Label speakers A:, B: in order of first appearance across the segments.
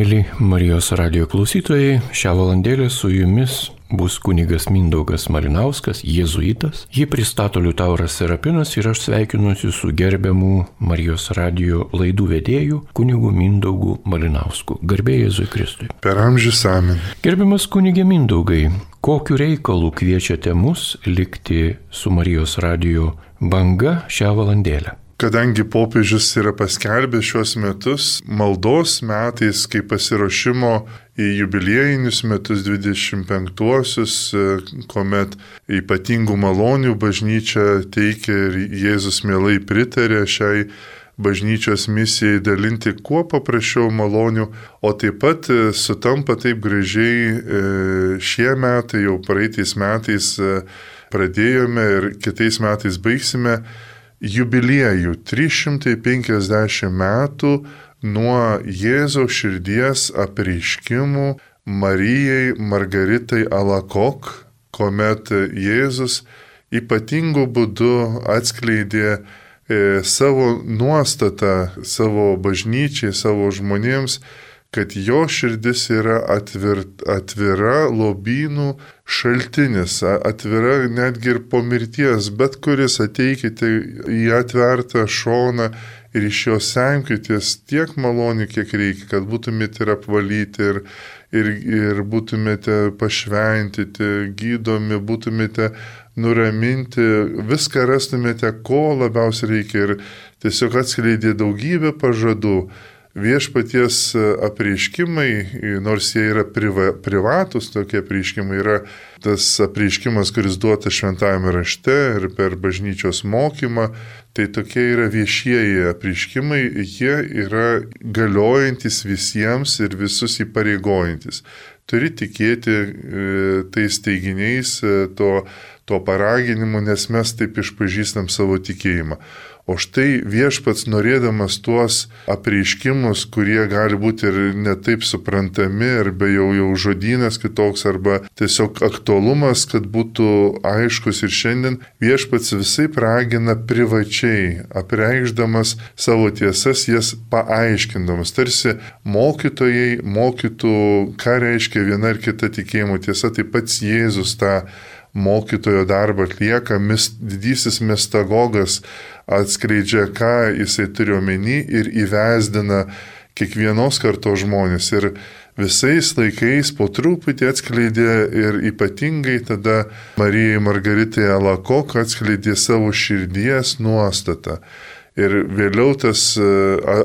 A: Mėly Marijos radijo klausytojai, šią valandėlę su jumis bus kunigas Mindaugas Malinauskas, jėzuitas. Jį pristato Liutauras Serapinas ir aš sveikinuosi su gerbiamu Marijos radijo laidų vedėju kunigu Mindaugu Malinausku. Garbė Jėzui Kristui.
B: Per amžius amen.
A: Gerbiamas kunigė Mindaugai, kokiu reikalu kviečiate mus likti su Marijos radijo banga šią valandėlę?
B: Kadangi popiežius yra paskelbęs šios metus maldos metais kaip pasiruošimo į jubiliejinius metus 25-uosius, kuomet ypatingų malonių bažnyčia teikia ir Jėzus mielai pritarė šiai bažnyčios misijai dalinti kuo paprasčiau malonių, o taip pat sutampa taip gražiai šie metai, jau praeitais metais pradėjome ir kitais metais baigsime jubiliejų 350 metų nuo Jėzaus širdies apreiškimų Marijai Margaritai Alakok, kuomet Jėzus ypatingu būdu atskleidė savo nuostatą savo bažnyčiai, savo žmonėms, kad jo širdis yra atvira lobynų šaltinis, atvira netgi ir po mirties, bet kuris ateikite į atvertą šoną ir iš jo semkitės tiek malonių, kiek reikia, kad būtumėte ir apvalyti, ir būtumėte pašventyti, gydomi, būtumėte nuraminti, viską rastumėte, ko labiausiai reikia, ir tiesiog atskleidė daugybę pažadų. Viešpaties apreiškimai, nors jie yra privatus, tokie apreiškimai, yra tas apreiškimas, kuris duotas šventajame rašte ir per bažnyčios mokymą, tai tokie yra viešieji apreiškimai, jie yra galiojantis visiems ir visus įpareigojantis. Turi tikėti tais teiginiais, to paraginimu, nes mes taip išpažįstam savo tikėjimą. O štai viešpats norėdamas tuos apreiškimus, kurie gali būti ir netaip suprantami, arba jau žodynas kitoks, arba tiesiog aktualumas, kad būtų aiškus ir šiandien, viešpats visai ragina privačiai, apreikšdamas savo tiesas, jas paaiškindamas. Tarsi mokytojai mokytų, ką reiškia viena ar kita tikėjimo tiesa, taip pats Jėzus tą mokytojo darbą atlieka, didysis mistagogas atskleidžia, ką jisai turi omeny ir įvesdina kiekvienos kartos žmonės. Ir visais laikais po truputį atskleidė ir ypatingai tada Marijai Margaritai Alakok atskleidė savo širdies nuostatą. Ir vėliau tas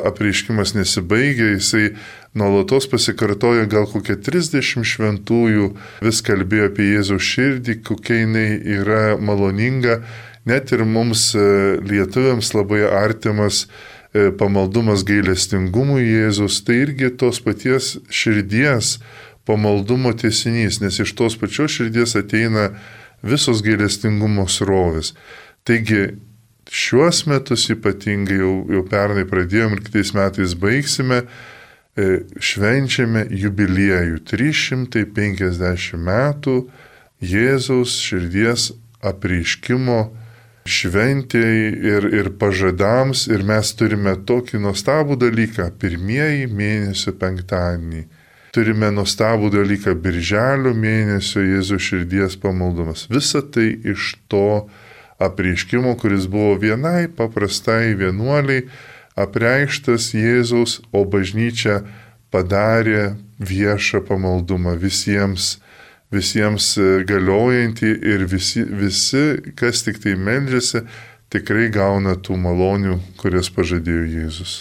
B: apreiškimas nesibaigė, jisai nuolatos pasikartoja, gal kokie 30 šventųjų vis kalbėjo apie Jėzaus širdį, kokia jinai yra maloninga. Net ir mums lietuviams labai artimas pamaldumas gailestingumui Jėzus, tai irgi tos paties širdies pamaldumo tęsinys, nes iš tos pačios širdies ateina visos gailestingumo srovės. Taigi, šiuos metus ypatingai jau pernai pradėjom ir kitais metais baigsime, švenčiame jubiliejų 350 metų Jėzaus širdies apreiškimo šventėjai ir pažadams, ir mes turime tokį nuostabų dalyką pirmieji mėnesio penktadienį. Turime nuostabų dalyką birželio mėnesio Jėzaus širdies pamaldumas. Visa tai iš to apreiškimo, kuris buvo vienai paprastai vienuoliai apreikštas Jėzaus, o bažnyčia padarė viešą pamaldumą visiems galiojantį, ir visi, kas tik tai meldžiasi, tikrai gauna tų malonių, kurias pažadėjo Jėzus.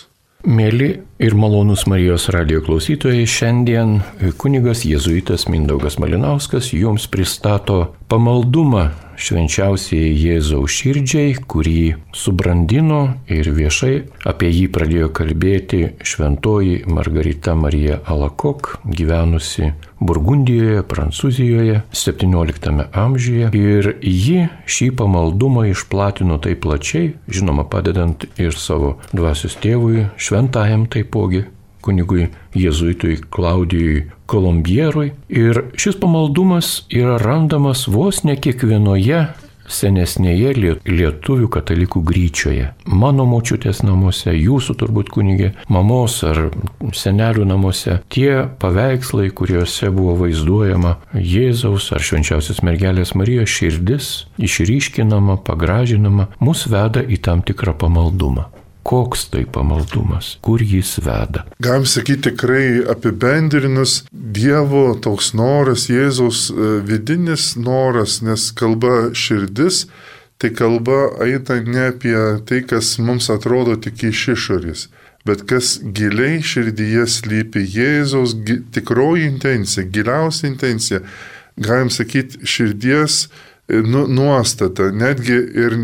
A: Mėly ir malonūs Marijos radijo klausytojai, šiandien kunigas jėzuitas Mindaugas Malinauskas jums pristato pamaldumą švenčiausiai Jėzaus širdžiai, kurį subrandino ir viešai apie jį pradėjo kalbėti šventoji Margarita Marija Alakok, gyvenusi Burgundijoje, Prancūzijoje 17 amžiuje. Ir ji šį pamaldumą išplatino taip plačiai, žinoma, padedant ir savo dvasios tėvui, šventajam taipogi, kunigui jėzuitui Klaudijui Kolombierui. Ir šis pamaldumas yra randamas vos ne kiekvienoje senesnėje lietuvių katalikų gryčioje. Mano močiutės namuose, jūsų turbūt kunigė, mamos ar senelių namuose, tie paveikslai, kuriuose buvo vaizduojama Jėzaus ar švenčiausios mergelės Marijos širdis, išryškinama, pagražinama, mus veda į tam tikrą pamaldumą. Koks tai pamaldumas, kur jis veda?
B: Galim sakyti tikrai apibendrinus, Dievo toks noras, Jėzaus vidinis noras, nes kalba širdis, tai kalba eina ne apie tai, kas mums atrodo tik iš išorės, bet kas giliai širdyje slypi Jėzaus tikroji intencija, giliausia intencija, galim sakyti širdies nuostata, netgi ir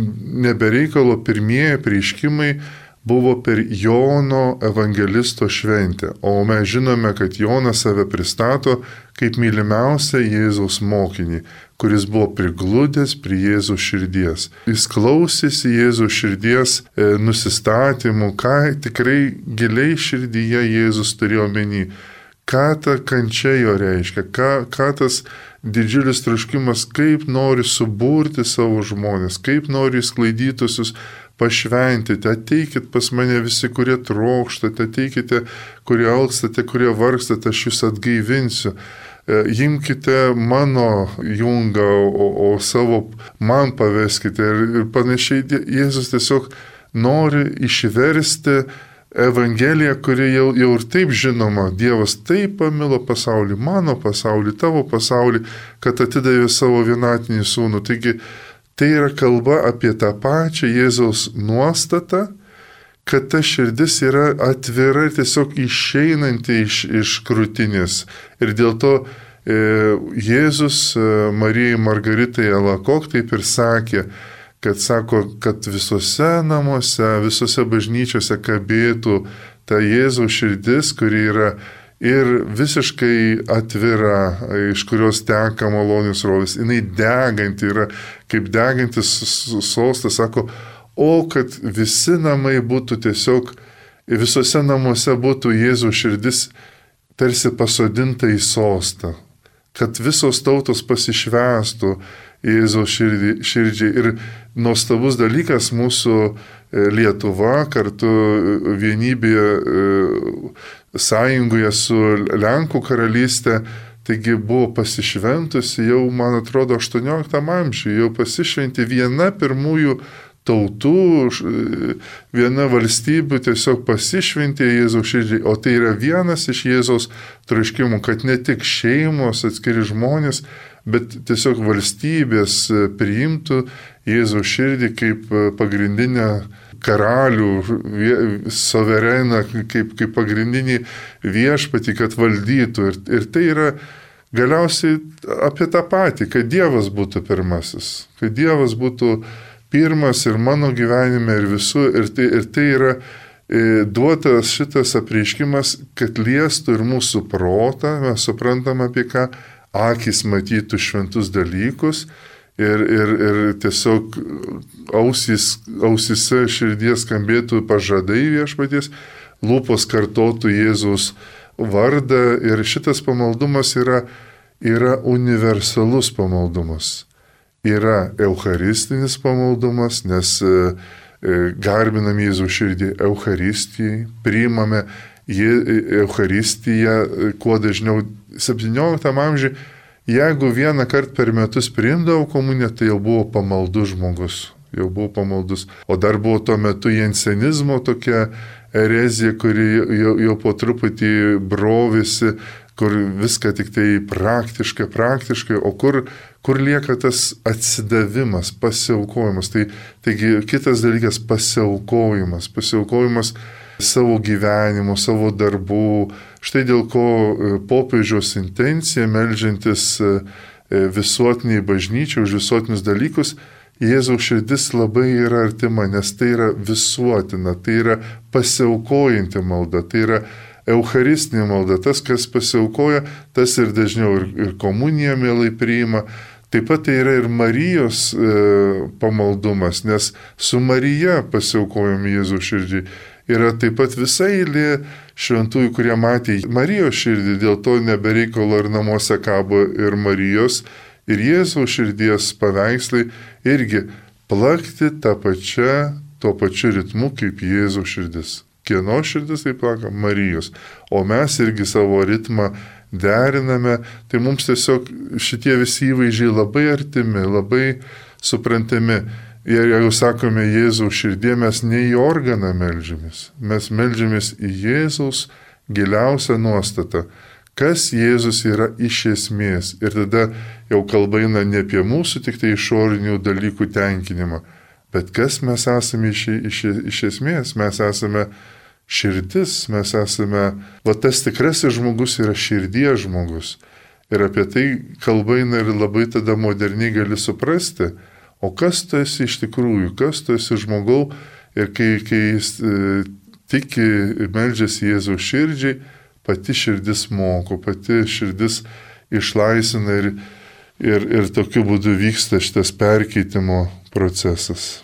B: nebereikalo pirmieji apreiškimai buvo per Jono evangelisto šventę, o mes žinome, kad Jonas save pristato kaip mylimiausią Jėzaus mokinį, kuris buvo prigludęs prie Jėzaus širdies. Jis klausėsi Jėzaus širdies nusistatymų, ką tikrai giliai širdyje Jėzus turėjo omeny, ką ta kančia jo reiškia, ką tas didžiulis troškimas, kaip nori suburti savo žmonės, kaip nori sklaidytusius pašventyti, ateikit pas mane visi, kurie trokštate, ateikite, kurie alkstate, kurie vargstate, aš jūs atgaivinsiu. Imkite mano jungą, o savo man paveskite ir panašiai. Jėzus tiesiog nori išversti Evangeliją, kuri jau ir taip žinoma. Dievas taip pamilo pasaulį, mano pasaulį, tavo pasaulį, kad atidavė savo vienatinį sūnų. Taigi, tai yra kalba apie tą pačią Jėzaus nuostatą, kad ta širdis yra atvira ir tiesiog išeinanti iš krūtinės. Ir dėl to Jėzus Marijai Margaritai Alakok taip ir sakė, kad visose namuose, visose bažnyčiose kabėtų ta Jėzaus širdis, kuri yra ir visiškai atvira, iš kurios teka malonius srovės. Jinai deganti yra, kaip degantis sostas, sako, o kad visi namai būtų tiesiog, visose namuose būtų Jėzaus širdis tarsi pasodinta į sostą, kad visos tautos pasišvęstų Jėzaus širdžiai. Ir nuostabus dalykas mūsų Lietuva kartu vienybėje sąjungoje su Lenkų karalystė, taigi buvo pasišventusi jau, man atrodo, 18 amžiuje, jau pasišventi viena pirmųjų tautų, viena valstybių tiesiog pasišventė Jėzaus širdžiai, o tai yra vienas iš Jėzaus troškimų, kad ne tik šeimos, atskiri žmonės, bet tiesiog valstybės priimtų Jėzaus širdį kaip pagrindinę karalių, suvereną, kaip pagrindinį viešpatį, kad valdytų. Ir tai yra galiausiai apie tą patį, kad Dievas būtų pirmasis, kad Dievas būtų pirmas ir mano gyvenime ir visų. Ir tai yra duotas šitas apreiškimas, kad liestų ir mūsų protą, mes suprantam apie ką, akis matytų šventus dalykus ir tiesiog ausise širdies skambėtų pažadai viešpaties, lūpos kartotų Jėzaus vardą. Ir šitas pamaldumas yra universalus pamaldumas. Yra eucharistinis pamaldumas, nes garbinam Jėzaus širdį Eucharistijai, priimame Eucharistiją kuo dažniau. 17 amžiuje, jeigu vieną kartą per metus priimdavo komuniją, tai jau buvo pamaldus žmogus, O dar buvo tuo metu jensenizmo tokia erezija, kuri jau po truputį brovėsi, kur viską tik tai praktiškai, o kur lieka tas atsidavimas, pasiaukojimas. Taigi kitas dalykas - pasiaukojimas savo gyvenimo, savo darbų. Štai dėl ko popiežiaus intencija, meldžiantis visuotiniai bažnyčiai už visuotinius dalykus, Jėzaus širdis labai yra artima, nes tai yra visuotina, tai yra pasiaukojanti malda, tai yra eucharistinė malda. Tas, kas pasiaukoja, tas ir dažniau ir komuniją mielai priima. Taip pat tai yra ir Marijos pamaldumas, nes su Marija pasiaukojom Jėzaus širdžiai. Yra taip pat visa eilė šventųjų, kurie matė Marijos širdį, dėl to nebereikalo ir namuose kabo ir Marijos Ir Jėzaus širdies paveikslai irgi plakti tuo pačiu ritmu kaip Jėzaus širdis. Kieno širdis tai plaka? Marijos. O mes irgi savo ritmą deriname, tai mums tiesiog šitie visi įvaizdžiai labai artimi, labai suprantami. Ir jeigu sakome Jėzaus širdie, mes ne į organą meldžiamės, mes meldžiamės į Jėzaus giliausią nuostatą, kas Jėzus yra iš esmės. Ir tada jau kalba eina ne apie mūsų tik tai išorinių dalykų tenkinimą, bet kas mes esame iš esmės. Mes esame širdis, mes esame, tas tikrasis žmogus yra širdies žmogus. Ir apie tai kalba eina ir labai tada moderniai gali suprasti, o kas tu esi iš tikrųjų, kas tu esi žmogau. Ir kai jis tiki ir meldžiasi Jėzaus širdžiai, pati širdis moko, pati širdis išlaisvina ir tokiu būdu vyksta šitas perkeitimo procesas.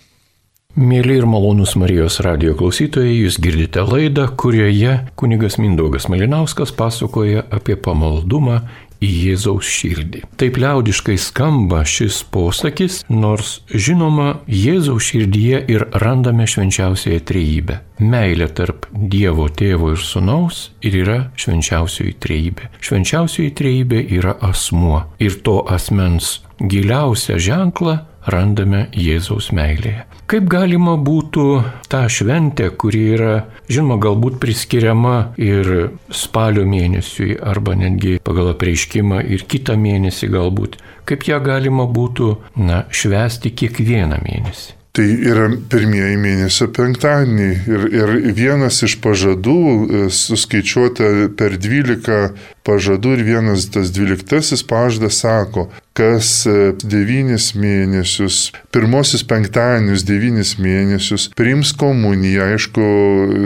A: Mėly ir malonūs Marijos radijo klausytojai, jūs girdite laidą, kurioje kunigas Mindaugas Malinauskas pasakoja apie pamaldumą į Jėzaus širdį. Taip liaudiškai skamba šis posakis, nors žinoma, Jėzaus širdyje ir randame švenčiausiąją trejybę. Meilė tarp Dievo Tėvo ir Sūnaus ir yra švenčiausioji trejybė. Švenčiausioji trejybė yra asmuo ir to asmens giliausią ženklą randame Jėzaus meilėje. Kaip galima būtų tą šventę, kuri yra, žinoma, galbūt priskiriama ir spalio mėnesiui, arba netgi pagal apreiškimą ir kitą mėnesį galbūt, kaip ją galima būtų, švęsti kiekvieną mėnesį?
B: Tai yra pirmieji mėnesio penktadieniai ir vienas iš pažadų suskaičiuota per 12 pažadų ir vienas tas 12 pažadas sako, kas 9 mėnesius, pirmosius penktadienius 9 mėnesius priims komuniją, aišku,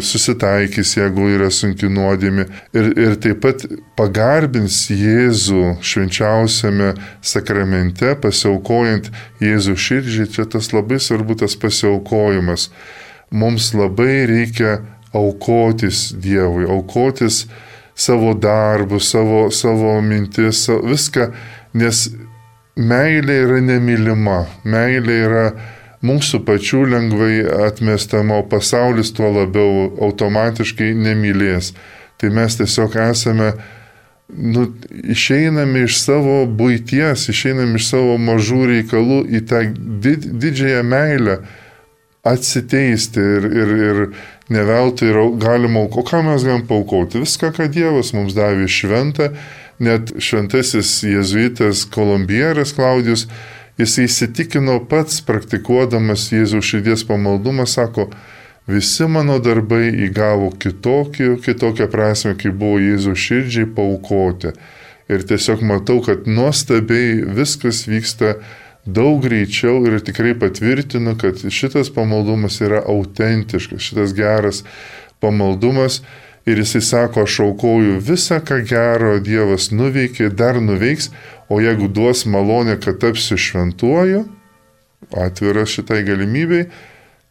B: susitaikys, jeigu yra sunki nuodėmė ir taip pat pagarbins Jėzų švenčiausiame sakramente, pasiaukojant Jėzų širdžiai. Čia tas labai svarbu, tas pasiaukojimas. Mums labai reikia aukotis Dievui, aukotis savo darbų, savo mintis, viską, nes meilė yra nemylima, meilė yra mūsų pačių lengvai atmestama, o pasaulis tuo labiau automatiškai nemylės. Tai mes tiesiog esame, išeiname iš savo buities, išeiname iš savo mažų reikalų į tą didžiąją meilę atsiteisti ir neveltui galima, o ką mes galim paaukoti? Viską, ką Dievas mums davė šventą. Net šventasis jėzuitas Kolumbieras Klaudijus, jis įsitikino pats praktikuodamas Jėzaus širdies pamaldumą, sako, visi mano darbai įgavo kitokią prasme, kai buvo Jėzaus širdžiai paaukoti. Ir tiesiog matau, kad nuostabiai viskas vyksta daug greičiau ir tikrai patvirtinu, kad šitas pamaldumas yra autentiškas, šitas geras pamaldumas. Ir jisai sako, aš aukoju visą, ką gero Dievas nuveikė, dar nuveiks, o jeigu duos malonę, kad tapsiu šventuoju, atviras šitai galimybei,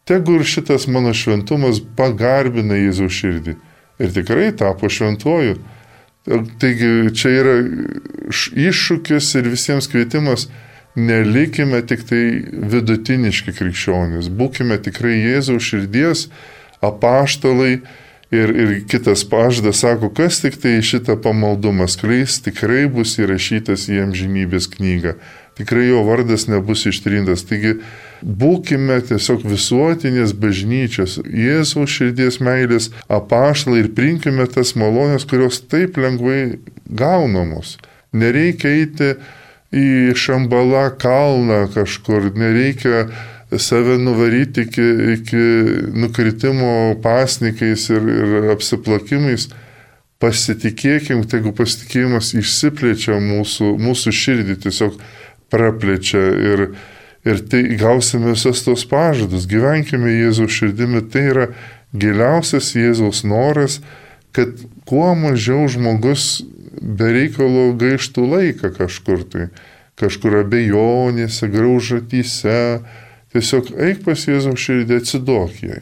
B: tegu ir šitas mano šventumas pagarbina Jėzaus širdį. Ir tikrai tapo šventuoju. Taigi čia yra iššūkis ir visiems kvietimas, nelikime tik tai vidutiniški krikščionys, būkime tikrai Jėzaus širdies apaštalai. Ir kitas pažadas sako, kas tik tai šitą pamaldumą skleis, tikrai bus įrašytas į amžinybės knygą. Tikrai jo vardas nebus ištrintas. Taigi būkime tiesiog visuotinės bažnyčios, Jėzaus širdies meilės apaštalai ir priimkime tas malonės, kurios taip lengvai gaunamos. Nereikia eiti į Šambalą kalną kažkur, nereikia save nuvaryti iki nukritimo pasnikais ir apsiplakimais. Pasitikėkim, tegu pasitikėjimas išsiplečia mūsų širdį, tiesiog praplečia ir tai gausime visas tos pažadus. Gyvenkime Jėzaus širdimi, tai yra giliausias Jėzaus noras, kad kuo mažiau žmogus be reikalo gaištų laiką kažkur abejonėse, graužatyse. Tiesiog eik pas Jėzaus širdį, atsiduok jai.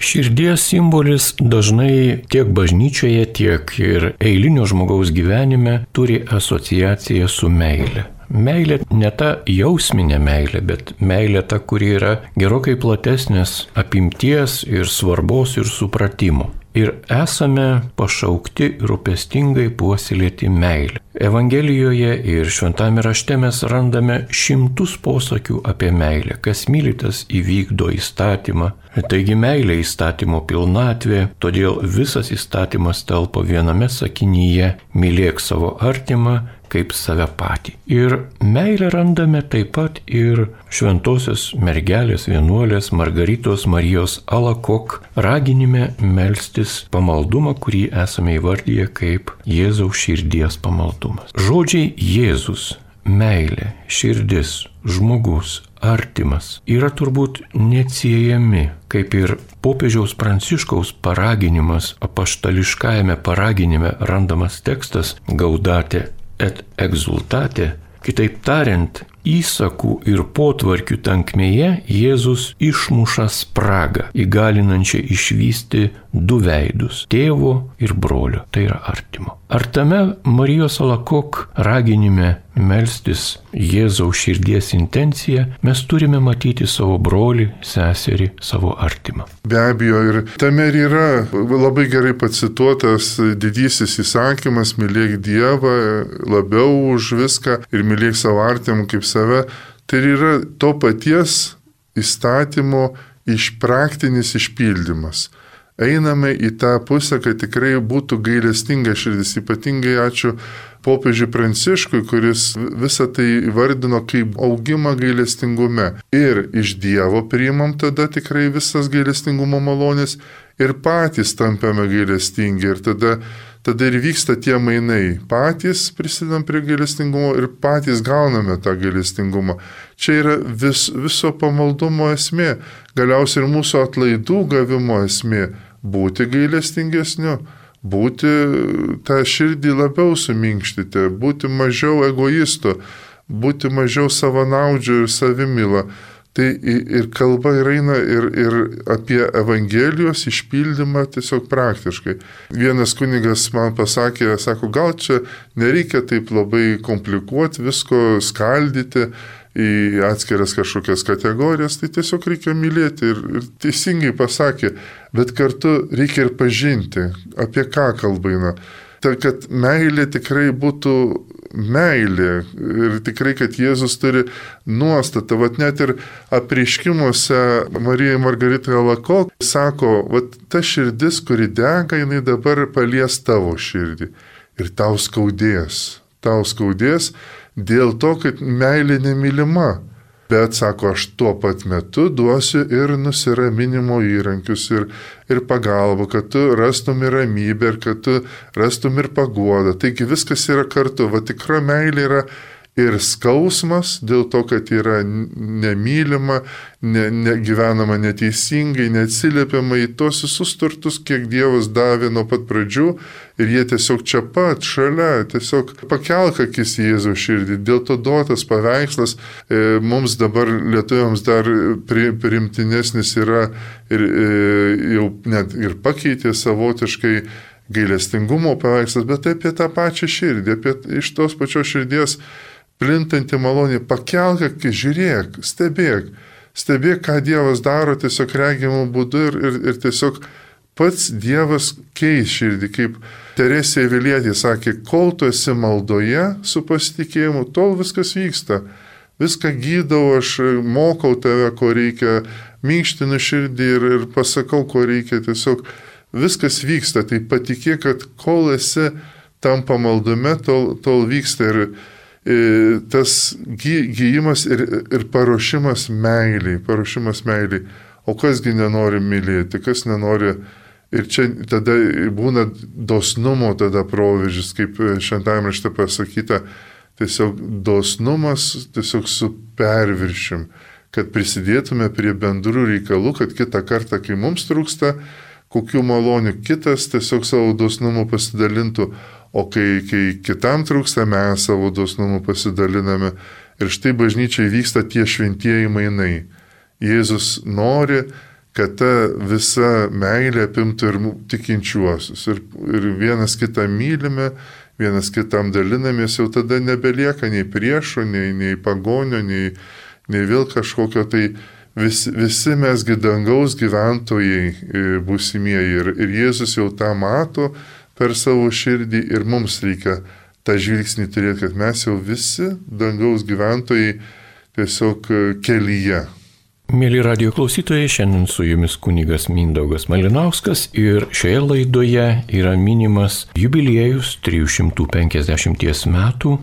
A: Širdies simbolis dažnai tiek bažnyčioje, tiek ir eilinio žmogaus gyvenime turi asociaciją su meile. Meilė ne ta jausminė meilė, bet meilė ta, kuri yra gerokai platesnės apimties ir svarbos ir supratimo. Ir esame pašaukti rūpestingai puoselėti meilę. Evangelijoje ir Šventame rašte mes randame šimtus posakių apie meilę. Kas myli, tas įvykdo įstatymą. Taigi meilė įstatymo pilnatvė, todėl visas įstatymas telpa viename sakinyje: mylėk savo artimą kaip save patį. Ir meilę randame taip pat ir šventosios mergelės vienuolės Margaritos Marijos Alakok raginime melstis pamaldumą, kurį esame įvardyję kaip Jėzaus širdies pamaldumas. Žodžiai Jėzus, meilė, širdis, žmogus, artimas yra turbūt neatsiejami, kaip ir popiežiaus Pranciškaus paraginimas, apaštališkajame paraginime randamas tekstas Gaudate et exultate, kitaip tariant, įsakų ir potvarkių tankmėje Jėzus išmuša spragą, įgalinančią išvysti du veidus – tėvo ir brolio, tai yra artimo. Ar tame Marijos Alakok raginime melstis Jėzaus širdies intenciją mes turime matyti savo brolį, seserį, savo artimą?
B: Be abejo, ir tame ir yra labai gerai pacituotas didysis įsakymas: mylėk Dievą labiau už viską ir mylėk savo artimą kaip save. Tai yra to paties įstatymo praktinis išpildymas. Einame į tą pusę, kad tikrai būtų gailestinga širdis. Ypatingai ačiū popiežiui Pranciškui, kuris visą tai įvardino kaip augimą gailestingume. Ir iš Dievo priimam tada tikrai visas gailestingumo malonės ir patys tampame gailestingi. Ir tada ir vyksta tie mainai. Patys prisidam prie gailestingumo ir patys gauname tą gailestingumą. Čia yra viso pamaldumo esmė. Galiausiai ir mūsų atlaidų gavimo esmė. Būti gailestingesniu, būti tą širdį labiau suminkštyti, būti mažiau egoistu, būti mažiau savanaudžiu ir savimyla. Tai ir kalba eina ir apie Evangelijos išpildymą tiesiog praktiškai. Vienas kunigas man pasakė, sako, gal čia nereikia taip labai komplikuoti, visko skaldyti į atskiras kažkokias kategorijas, tai tiesiog reikia mylėti ir teisingai pasakė, bet kartu reikia ir pažinti, apie ką kalba eina. Tai kad meilė tikrai būtų meilė ir tikrai, kad Jėzus turi nuostatą, net ir apreiškimuose Marijai Margaritai Alakok sako, ta širdis, kuri dega, jinai dabar palies tavo širdį ir tau skaudės dėl to, kad meilė nemylima. Bet, sako, aš tuo pat metu duosiu ir nusiraminimo įrankius, ir pagalbą, kad tu rastum ir ramybę, ir kad tu rastum ir paguodą. Taigi viskas yra kartu. Tikra meilė yra ir skausmas dėl to, kad yra nemylima, gyvenama neteisingai, neatsiliepiama į tos visus turtus, kiek Dievas davė nuo pat pradžių, ir jie tiesiog čia pat, šalia, tiesiog pakelk akis į Jėzaus širdį. Dėl to duotas paveikslas mums dabar lietuviams dar priimtinesnis yra ir jau net ir pakeitė savotiškai gailestingumo paveikslas, bet apie tą pačią širdį, apie iš tos pačios širdies plintanti malonė. Pakelk akis, žiūrėk, stebėk, ką Dievas daro tiesiog regimų būdu ir tiesiog pats Dievas keis širdį, kaip Teresė Avilietė sakė, kol tu esi maldoje su pasitikėjimu, tol viskas vyksta. Viską gydau, aš mokau tave, ko reikia, minkštinu širdį ir pasakau, ko reikia, tiesiog viskas vyksta. Tai patikėk, kad kol esi tam pamaldume, tol vyksta ir tas gyjimas ir paruošimas meiliai. O kasgi nenori mylėti, kas nenori. Ir čia tada būna dosnumo tada proveržis, kaip Šventajame rašte pasakyta, tiesiog dosnumas tiesiog su perviršim, kad prisidėtume prie bendrų reikalų, kad kitą kartą, kai mums trūksta kokių malonių, kitas tiesiog savo dosnumu pasidalintų, o kai kitam trūksta, mes savo dosnumu pasidaliname. Ir štai bažnyčiai vyksta tie šventieji mainai. Jėzus nori, kad ta visa meilė apimtų ir tikinčiuosius. Ir vienas kitą mylime, vienas kitam dalinamės, jau tada nebelieka nei priešų, nei pagonio, nei vėl kažkokio tai visi mesgi dangaus gyventojai būsimieji. Ir Jėzus jau tą mato per savo širdį ir mums reikia tą žvilgsnį turėti, kad mes jau visi dangaus gyventojai tiesiog kelyje.
A: Mėly radijo klausytojai, šiandien su jumis kunigas Mindaugas Malinauskas ir šioje laidoje yra minimas jubiliejus 350 metų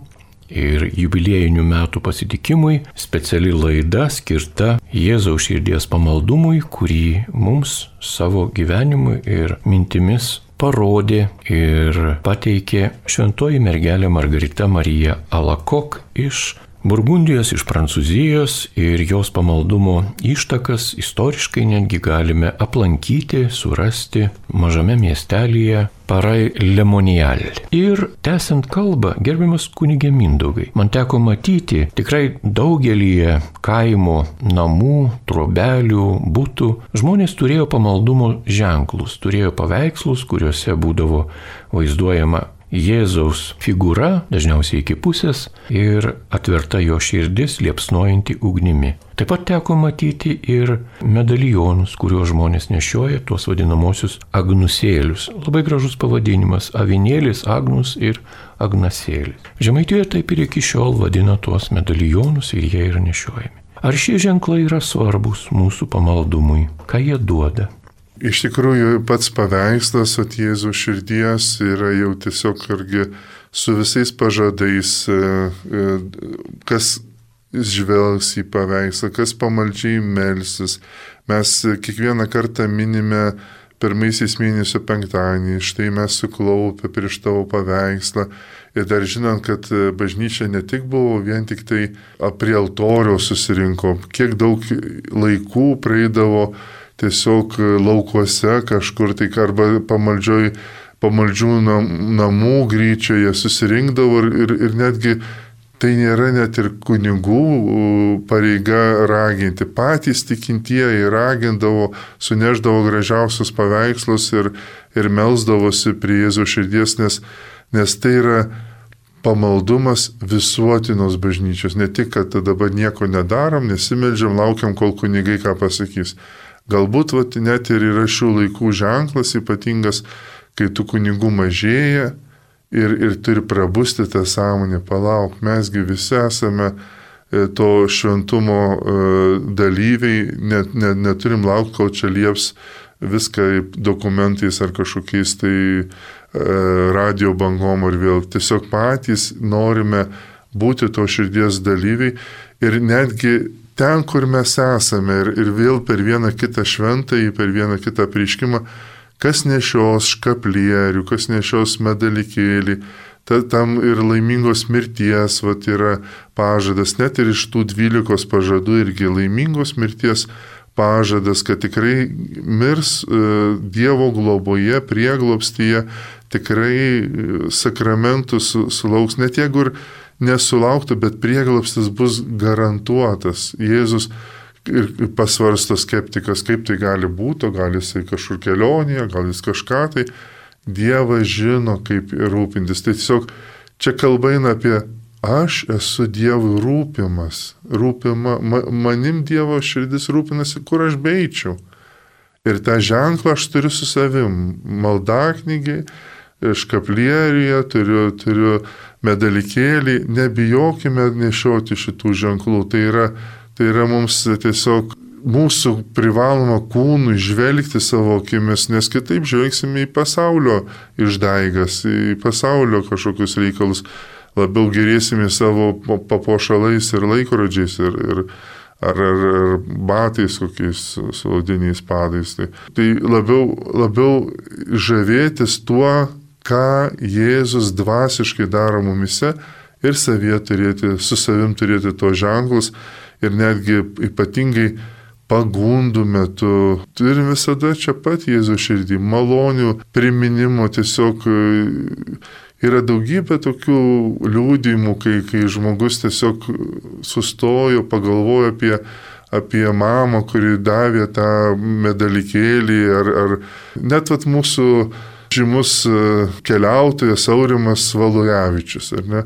A: ir jubiliejinių metų pasitikimui speciali laida skirta Jėzaus širdies pamaldumui, kurį mums savo gyvenimu ir mintimis parodė ir pateikė šventoji mergelė Margarita Marija Alakok iš Burgundijos, iš Prancūzijos, ir jos pamaldumo ištakas istoriškai netgi galime aplankyti, surasti mažame miestelyje Paray-le-Monial. Ir tęsiant kalbą, gerbiamas kunige Mindaugai, man teko matyti tikrai daugelį kaimo namų, trobelių, butų. Žmonės turėjo pamaldumo ženklus, turėjo paveikslus, kuriuose būdavo vaizduojama Jėzaus figūra, dažniausiai iki pusės, ir atverta jo širdis liepsnojanti ugnimi. Taip pat teko matyti ir medalionus, kuriuos žmonės nešioja, tuos vadinamosius agnusėlius. Labai gražus pavadinimas – avinėlis, agnus ir agnasėlis. Žemaitijoje taip ir iki šiol vadina tuos medalionus ir jie yra nešiojami. Ar šie ženklai yra svarbus mūsų pamaldumui? Ką jie duoda?
B: Iš tikrųjų, pats paveikslas ant Jėzaus širdies yra jau tiesiog irgi su visais pažadais, kas žvelgs į paveikslą, kas pamaldžiai melsis. Mes kiekvieną kartą minime pirmaisiais mėnesio penktadienį, štai mes suklaupę prieš tavo paveikslą. Ir dar žinant, kad bažnyčia ne tik buvo vien tik tai prie altoriaus susirinko, kiek daug laikų praeidavo tiesiog laukuose kažkur tai arba pamaldžių namų gryčioje susirinkdavo ir netgi tai nėra net ir kunigų pareiga raginti. Patys tikintieji ragindavo, suneždavo gražiausius paveikslus ir melsdavosi prie Jėzaus širdies, nes tai yra pamaldumas visuotinos bažnyčios. Ne tik, kad dabar nieko nedarom, nesimeldžiam, laukiam, kol kunigai ką pasakys. Galbūt net ir yra šių laikų ženklas ypatingas, kai tų kunigų mažėja ir turi prabusti tą sąmonę. Palauk, mesgi visi esame to šventumo dalyviai, neturim laukti, kol čia lieps viską dokumentais ar kažkokiais tai radio bangom ar vėl. Tiesiog patys norime būti to širdies dalyviai ir netgi ten, kur mes esame ir vėl per vieną kitą šventąjį, per vieną kitą apreiškimą, kas nešios škaplierių, kas nešios medalikėlį, tam ir laimingos mirties yra pažadas, net ir iš tų 12 pažadų irgi laimingos mirties pažadas, kad tikrai mirs Dievo globoje, prieglobstyje, tikrai sakramentų sulauks, net jeigu ir nesulauktų, bet prieglobstis bus garantuotas. Jėzus ir pasvarsto skeptikas, kaip tai gali būti, gal jisai kažkur kelionėje, gal jis kažką tai. Dievas žino, kaip rūpintis. Tai tiesiog čia kalba eina apie aš esu Dievui rūpima, manim Dievo širdis rūpinasi, kur aš beičiau. Ir tą ženklą aš turiu su savim, maldaknygiai, škaplieriuje, turiu medalikėlį, nebijokime nešioti šitų ženklų. Tai yra mums tiesiog mūsų privaloma kūnų žvelgti savo akimis, nes kitaip žvelgsime į pasaulio išdaigas, į pasaulio kažkokius reikalus, labiau gerėsime savo papuošalais ir laikrodžiais ar batais kokiais su odiniais padais. Tai labiau žavėtis tuo, ką Jėzus dvasiškai daro mumise ir su savim turėti to ženklus ir netgi ypatingai pagundų metu. Turim visada čia pat Jėzaus širdį, malonių priminimo, tiesiog yra daugybė tokių liūdimų, kai žmogus tiesiog sustojo, pagalvojo apie mamą, kuri davė tą medalikėlį, ar net vat mūsų žymus keliautojas Aurimas Valujavičius, ar ne?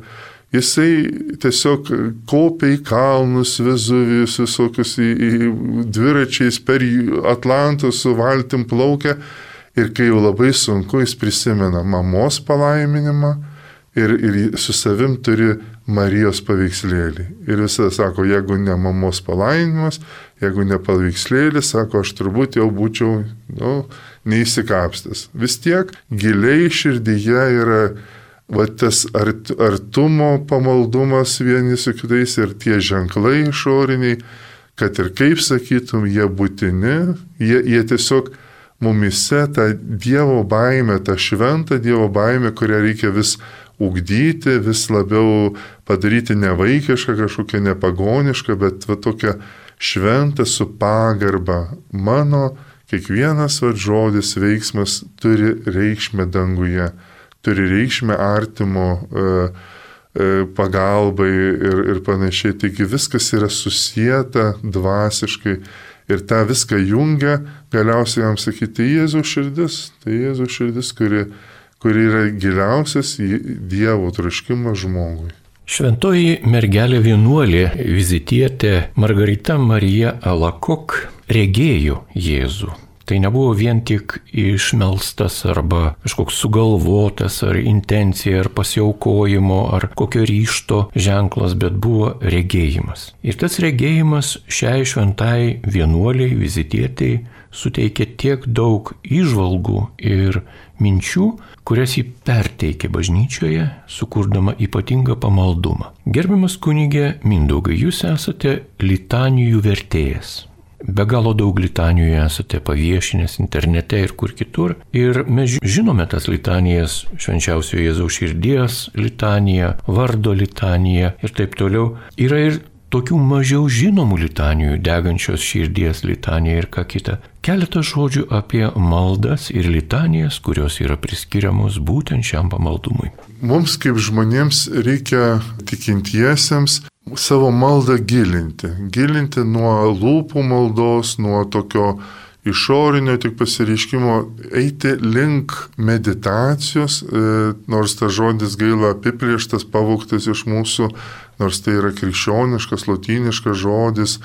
B: Jisai tiesiog kopia į kalnus, Vezuvijus, visokius į dviračiais per Atlantą su valtim plaukia ir kai jau labai sunku, jis prisimena mamos palaiminimą ir su savim turi Marijos paveikslėlį. Ir visada sako, jeigu ne mamos palaiminimas, jeigu ne paveikslėlis, sako, aš turbūt jau būčiau neįsikapstęs. Vis tiek giliai širdyje yra tas artumo pamaldumas vieni su kitais ir tie ženklai išoriniai, kad ir kaip sakytum, jie būtini, jie tiesiog mumise tą Dievo baimę, tą šventą Dievo baimę, kurią reikia vis ugdyti, vis labiau padaryti ne vaikišką, kažkokią nepagonišką, bet tokią šventą su pagarba. Mano kiekvienas žodis, veiksmas turi reikšmę danguje, turi reikšmę artimo pagalbai ir panašiai. Taigi viskas yra susieta dvasiškai ir tą viską jungia, galiausiai jam sakyti, Jėzaus širdis, tai Jėzaus širdis, kuri yra giliausias Dievo troškimas žmogui.
A: Šventoji mergelė vienuolė vizitietė Margarita Marija Alakok regėjo Jėzų. Tai nebuvo vien tik išmelstas arba kažkoks sugalvotas ar intencija, ar pasiaukojimo, ar kokio ryžto ženklas, bet buvo regėjimas. Ir tas regėjimas šiai šventai vienuoliai vizitietei suteikė tiek daug įžvalgų ir minčių, kurias jį perteikė bažnyčioje, sukurdama ypatingą pamaldumą. Gerbiamas kunige Mindaugai, jūs esate litanijų vertėjas. Be galo daug litanijų esate paviešinęs internete ir kur kitur. Ir mes žinome tas litanijas, švenčiausio Jėzaus širdies litaniją, vardo litaniją ir taip toliau. Yra ir tokių mažiau žinomų litanijų, degančios širdies litanija ir ką kita. Keletą žodžių apie maldas ir litanijas, kurios yra priskiriamos būtent šiam pamaldumui.
B: Mums kaip žmonėms reikia tikintiesiems savo maldą gilinti nuo lūpų maldos, nuo tokio išorinio tik pasireiškimo, eiti link meditacijos, nors tas žodis gaila apiplėštas, pavogtas iš mūsų, nors tai yra krikščioniškas, lotyniškas žodis,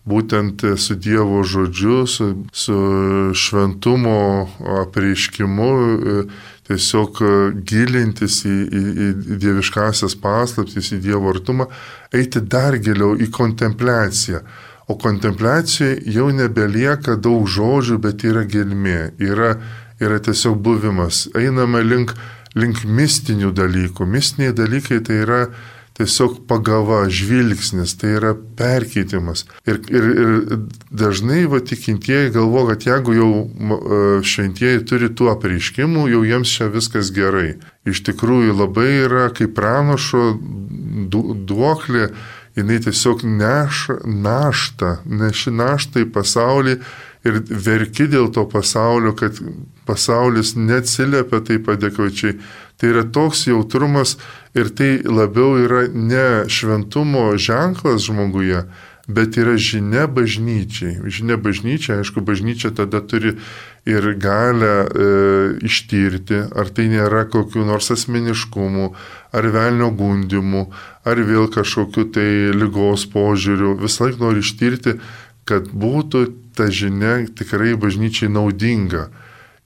B: būtent su Dievo žodžiu, su šventumo apreiškimu, tiesiog gilintis į dieviškasias paslaptis, į Dievo artumą, eiti dar giliau į kontempliaciją. O kontempliacijoje jau nebelieka daug žodžių, bet yra gelmė, yra tiesiog buvimas. Einame link mistinių dalykų. Mistiniai dalykai tai yra tiesiog pagava, žvilgsnis, tai yra perkeitimas. Ir dažnai tikintieji galvo, kad jeigu jau šventieji turi tų apreiškimų, jau jiems čia viskas gerai. Iš tikrųjų labai yra kaip pranašo duoklė, jinai tiesiog neši naštą į pasaulį ir verki dėl to pasaulio, kad pasaulis neatsiliepia taip adekvačiai. Tai yra toks jautrumas ir tai labiau yra ne šventumo ženklas žmoguje, bet yra žinia bažnyčiai. Žinia bažnyčiai, aišku, bažnyčia tada turi ir galę ištirti, ar tai nėra kokių nors asmeniškumų, ar velnio gundimų, ar vėl kažkokių tai ligos požiūrių. Visą laiką nori ištirti, kad būtų ta žinia tikrai bažnyčiai naudinga.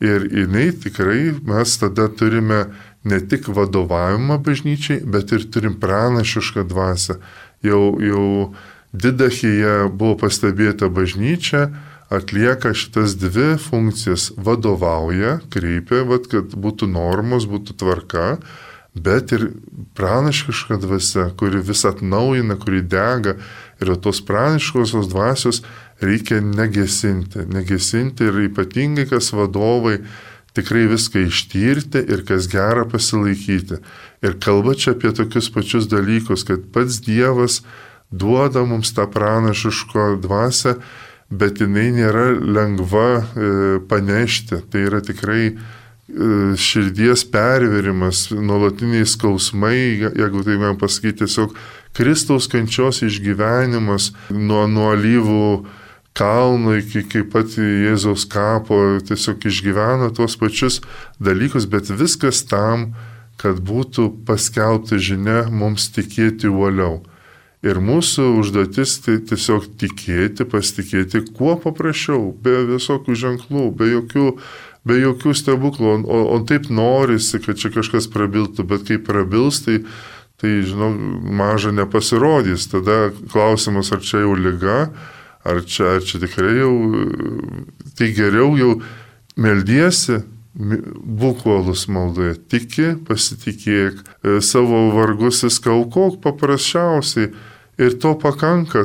B: Ir jinai tikrai mes tada turime ne tik vadovavimą bažnyčiai, bet ir turim pranašišką dvasią. Jau Didachėje buvo pastebėta bažnyčia, atlieka šitas dvi funkcijas. Vadovauja, kreipia, kad būtų normos, būtų tvarka, bet ir pranašiška dvasia, kuri vis atnaujina, kuri dega. Ir tos pranašiškosios dvasios reikia negesinti ir ypatingai, kas vadovai, tikrai viską ištyrti ir kas gera pasilaikyti. Ir kalba čia apie tokius pačius dalykus, kad pats Dievas duoda mums tą pranašišką dvasią, bet jinai nėra lengva panešti. Tai yra tikrai širdies perverimas, nuolatiniai skausmai, jeigu tai man pasakyti, tiesiog Kristaus kančios išgyvenimas nuo alyvų kalno iki pat Jėzaus kapo, tiesiog išgyveno tuos pačius dalykus, bet viskas tam, kad būtų paskelbta žinia mums tikėti uoliau. Ir mūsų užduotis tai tiesiog tikėti, pasitikėti kuo paprasčiau, be visokių ženklų, be jokių stebuklų, o taip norisi, kad čia kažkas prabiltų, bet kai prabils, tai žinau, maža nepasirodys. Tada klausimas, ar čia jau liga, ar čia tikrai jau, tai geriau jau meldiesi, būk uolus maldoje, tiki, pasitikėk, savo vargus įskaukok paprasčiausiai. Ir to pakanka,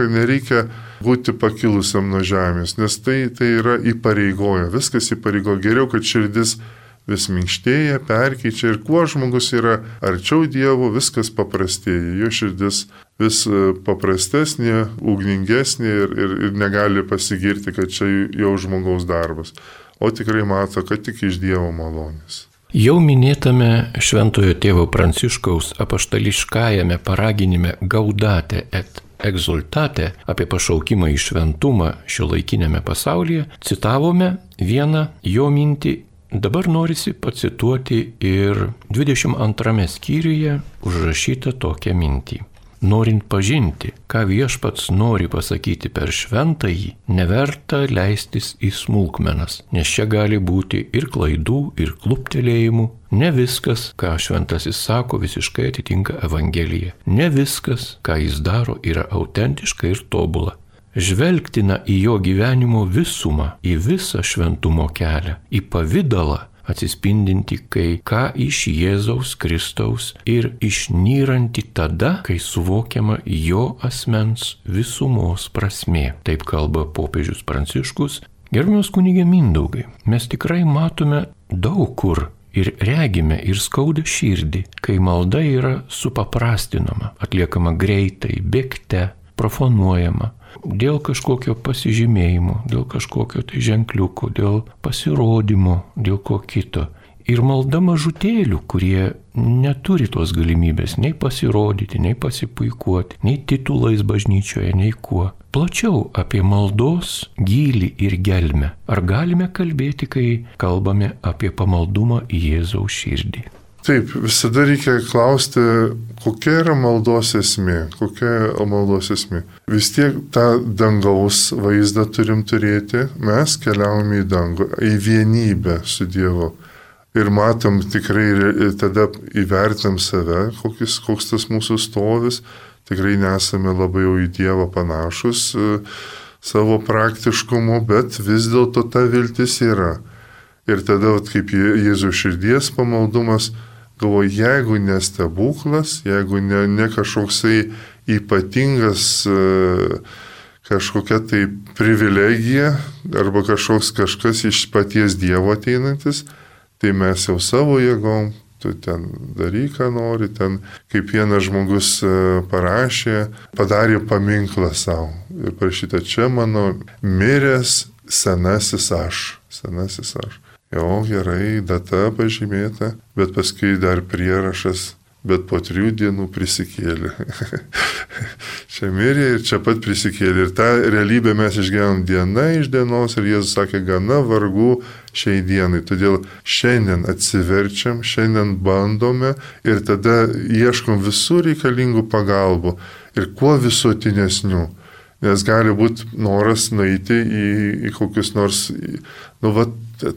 B: nereikia būti pakilusiam nuo žemės, nes tai yra įpareigoja, viskas įpareigoja. Geriau, kad širdis vis minkštėja, perkeičia ir kuo žmogus yra arčiau Dievo, viskas paprastėja, jo širdis vis paprastesnė, ugningesnė ir negali pasigirti, kad čia jau žmogaus darbas, o tikrai mato, kad tik iš Dievo malonės.
A: Jau minėtame Šventojo tėvo Pranciškaus apaštališkajame paraginime Gaudate et exultate apie pašaukimą į šventumą šiuolaikinėme pasaulyje citavome vieną jo mintį. Dabar norisi pacituoti ir 22 skyriuje užrašytą tokią mintį. Norint pažinti, ką Viešpats nori pasakyti per šventąjį, neverta leistis į smulkmenas, nes čia gali būti ir klaidų, ir kluptelėjimų. Ne viskas, ką šventasis sako, visiškai atitinka Evangeliją. Ne viskas, ką jis daro, yra autentiška ir tobula. Žvelgtina į jo gyvenimo visumą, į visą šventumo kelią, į pavidalą, atsispindinti kai ką iš Jėzaus Kristaus ir išnyranti tada, kai suvokiama jo asmens visumos prasmė. Taip kalba popiežius Pranciškus. Gerbiamas kunige Mindaugai, mes tikrai matome daug kur ir regime ir skauda širdį, kai malda yra supaprastinama, atliekama greitai, bėgte, profanuojama. Dėl kažkokio pasižymėjimo, dėl kažkokio tai ženkliuko, dėl pasirodymo, dėl ko kito. Ir malda mažutėlių, kurie neturi tos galimybės nei pasirodyti, nei pasipuikuoti, nei titulais bažnyčioje, nei kuo. Plačiau apie maldos gylį ir gelmę. Ar galime kalbėti, kai kalbame apie pamaldumą į Jėzaus širdį?
B: Taip, visada reikia klausti, kokia yra maldos esmė, Vis tiek tą dangaus vaizdą turim turėti, mes keliaujame į dangų, į vienybę su Dievu. Ir matom tikrai, tada įvertinam save, koks tas mūsų stovis, tikrai nesame labai jau į Dievą panašus savo praktiškumu, bet vis dėlto ta viltis yra. Ir tada, kaip Jėzaus širdies pamaldumas, galvoju, jeigu ne stebuklas, jeigu ne kažkoksai ypatingas kažkokia tai privilegija arba kažkas iš paties Dievo ateinantis, tai mes jau savo jėgom, tu ten daryk, ką nori, ten kaip vienas žmogus parašė, padarė paminklą savo. Ir parašyta, čia mano miręs senasis aš. Jo, gerai, data pažymėta, bet paskui dar prierašas, bet po 3 dienų prisikėlė. Čia mirė ir čia pat prisikėlė. Ir tą realybę mes išgyvenam diena iš dienos ir Jėzus sakė, gana vargų šiai dienai. Todėl šiandien atsiverčiam, šiandien bandome ir tada ieškom visų reikalingų pagalbų ir kuo visuotinesnių. Nes gali būti noras nueiti į kokius nors,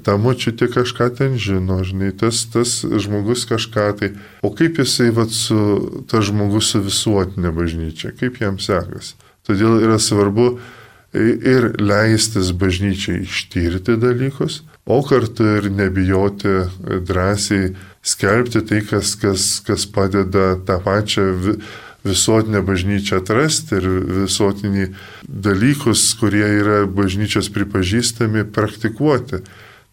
B: ta močiutė kažką ten žino, žinai, tas žmogus kažką tai. O kaip jisai tas žmogus su visuotinė bažnyčia, kaip jam sekasi? Todėl yra svarbu ir leistis bažnyčiai ištirti dalykus, o kartu ir nebijoti drąsiai skelbti tai, kas padeda tą pačią visuotinę bažnyčią atrasti ir visuotinį dalykus, kurie yra bažnyčios pripažįstami, praktikuoti.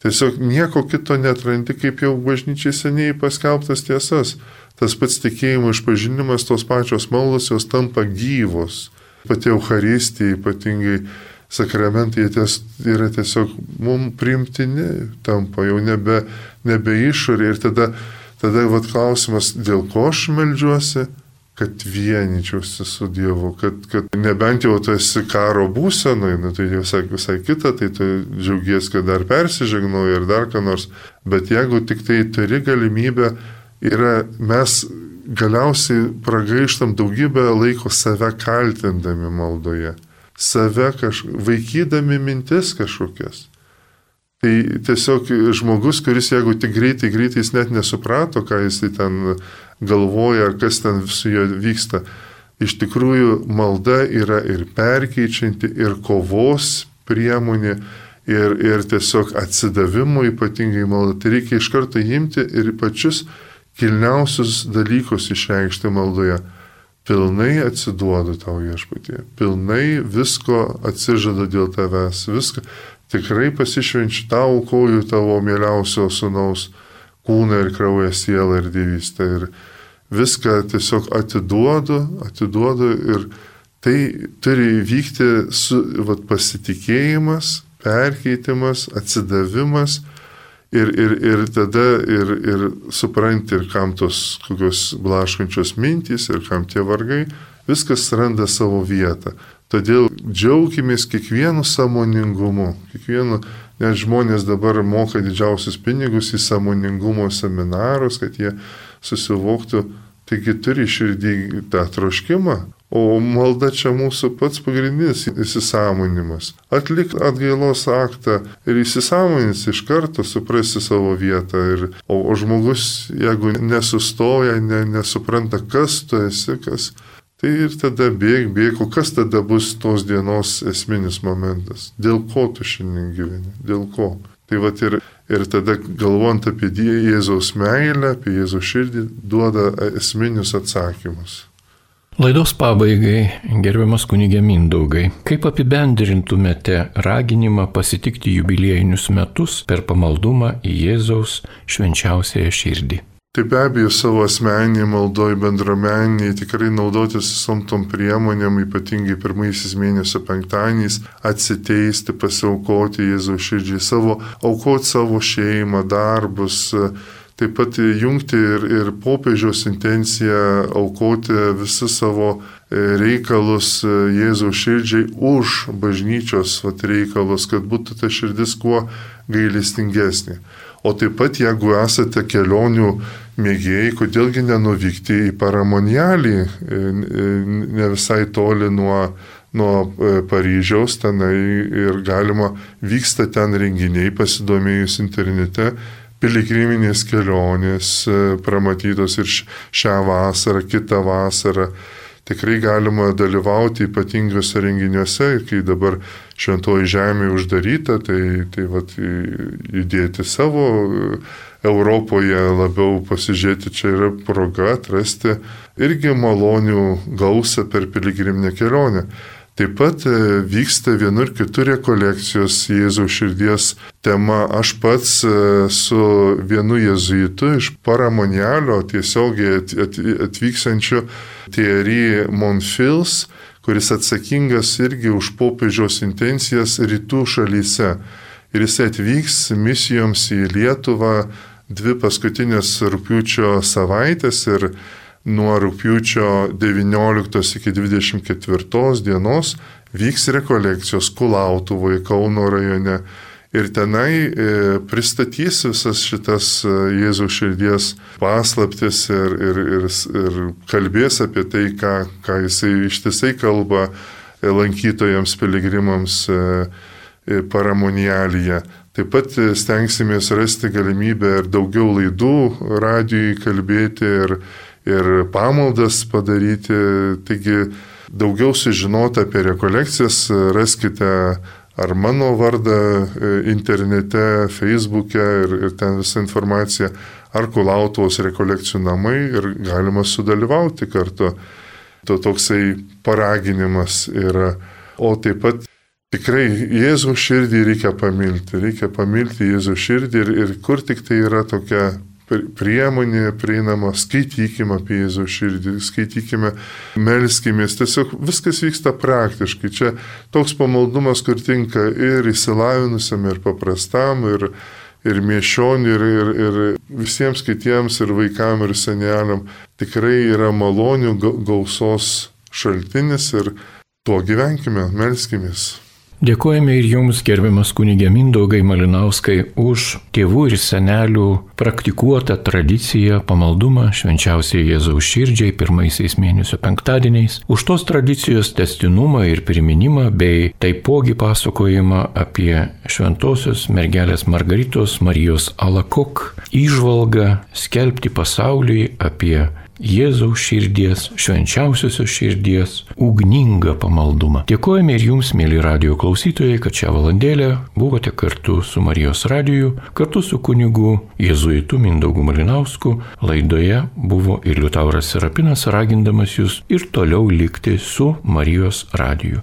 B: Tiesiog nieko kito netrandi, kaip jau bažnyčiai seniai paskelbtas tiesas. Tas pats tikėjimo išpažinimas, tos pačios maldos, jos tampa gyvos. Pati Eucharistija, ypatingai sakramentai yra tiesiog mums priimtini, tampa jau nebe išorė. Ir tada vat klausimas, dėl ko aš meldžiuosi, kad vienyčiausi su Dievu, kad nebent jau tu esi karo būsenoj, tai visai kita, tai tu džiaugies, kad dar persižegnoji ir dar ką nors, bet jeigu tik tai turi galimybę, mes galiausiai pragaištam daugybę laiko save kaltindami maldoje, save vaikydami mintis kažkokias. Tai tiesiog žmogus, kuris jeigu tik greitai jis net nesuprato, ką jis ten galvoja, ar kas ten su juo vyksta. Iš tikrųjų, malda yra ir perkeičianti, ir kovos priemonė, ir tiesiog atsidavimo ypatingai malda. Tai reikia iš karto imti ir pačius kilniausius dalykus išreikšti maldoje. Pilnai atsiduodu tau, Viešpatie, pilnai visko atsižadu dėl tavęs, viską. Tikrai pasišvenčiu tau, aukoju tavo mieliausio sūnaus kūną ir kraują, sielą ir dievystę. Ir viską tiesiog atiduodu ir tai turi vykti pasitikėjimas, perkeitimas, atsidavimas ir tada ir supranti, ir kam tos kokios blaškančios mintys, ir kam tie vargai, viskas randa savo vietą. Todėl džiaukimės kiekvienu sąmoningumu, nes žmonės dabar moka didžiausius pinigus į sąmoningumo seminarus, kad jie susivoktų, taigi turi širdį tą troškimą, o malda čia mūsų pats pagrindinis įsisąmonimas. Atlik atgailos aktą ir įsisąmonins iš karto, suprasi savo vietą. O žmogus, jeigu nesustoja, nesupranta, kas tu esi, tai ir tada bėg, o kas tada bus tos dienos esminis momentas? Dėl ko tu šiandien gyveni? Dėl ko? Tai vat ir tada galvojant apie Jėzaus meilę, apie Jėzaus širdį, duoda esminius atsakymus.
A: Laidos pabaigai, gerbiamas kunige Mindaugai, kaip apibendrintumėte raginimą pasitikti jubiliejinius metus per pamaldumą į Jėzaus švenčiausiąją širdį?
B: Tai be abejo savo asmeniniai maldoj bendruomeniai tikrai naudotis visom tom priemonėm, ypatingai pirmaisiais mėnesio penktadieniais, atsiteisti, pasiaukoti Jėzaus širdžiai, aukoti savo šeimą, darbus, taip pat jungti ir popiežiaus intenciją aukoti visus savo reikalus Jėzaus širdžiai už bažnyčios reikalus, kad būtų ta širdis kuo gailestingesnė. O taip pat, jeigu esate kelionių mėgėjai, kodėlgi nenuvykti į Paramonialį, ne visai toli nuo Paryžiaus, tenai ir vyksta ten renginiai, pasidomėjus internete, piligriminės kelionės pramatytos ir šią vasarą, kitą vasarą. Tikrai galima dalyvauti ypatingose renginiuose, kai dabar Šventoji Žemė uždaryta, tai judėti savo Europoje labiau pasižiūrėti, čia yra proga atrasti irgi malonių gausą per piligriminę kelionę. Taip pat vyksta vienur kitur rekolekcijos Jėzaus širdies tema. Aš pats su vienu jėzuitu iš Paramonialio tiesiogiai atvykstančiu Thierry Monfils, kuris atsakingas irgi už popiežiaus intencijas rytų šalyse. Ir jis atvyks misijoms į Lietuvą 2 paskutinės rugpjūčio savaitės ir nuo rugpjūčio 19 iki 24 dienos vyks rekolekcijos Kulautuvoje, Kauno rajone. Ir tenai pristatys visas šitas Jėzaus širdies paslaptis ir kalbės apie tai, ką jisai ištisai kalba lankytojams, piligrimams Paramonialyje. Taip pat stengsimės rasti galimybę ir daugiau laidų radijui kalbėti ir pamaldas padaryti. Taigi daugiau sužinoti apie rekolekcijas raskite ar mano vardą internete, Facebook'e ir ten visa informacija, ar Kulautuvos rekolekcijų namai ir galima sudalyvauti kartu. Toksai paraginimas yra. O taip pat tikrai Jėzaus širdį reikia pamilti Jėzaus širdį ir kur tik tai yra tokia priemonė prieinama, skaitykime apie Jėzaus širdį, skaitykime, melskimės, tiesiog viskas vyksta praktiškai. Čia toks pamaldumas, kur tinka ir išsilavinusiam, ir paprastam, ir miesčioniui, ir visiems kitiems, ir vaikam, ir seneliam. Tikrai yra malonių gausos šaltinis ir tuo gyvenkime, melskimės.
A: Dėkojame ir jums, gerbiamas kunigė Mindaugai Malinauskai, už tėvų ir senelių praktikuotą tradiciją pamaldumą švenčiausiai Jėzaus širdžiai pirmaisiais mėnesio penktadieniais, už tos tradicijos tęstinumą ir priminimą, bei taipogi pasakojimą apie šventosios mergelės Margaritos Marijos Alakok įžvalgą skelbti pasauliui apie Jėzaus širdies, švenčiausiosios širdies, ugningą pamaldumą. Dėkojame ir jums, mėly radijo klausytojai, kad šią valandėlę buvote kartu su Marijos radiju, kartu su kunigu jėzuitu Mindaugu Malinausku. Laidoje buvo ir Liutauras Serapinas, ragindamas jūs ir toliau likti su Marijos radiju.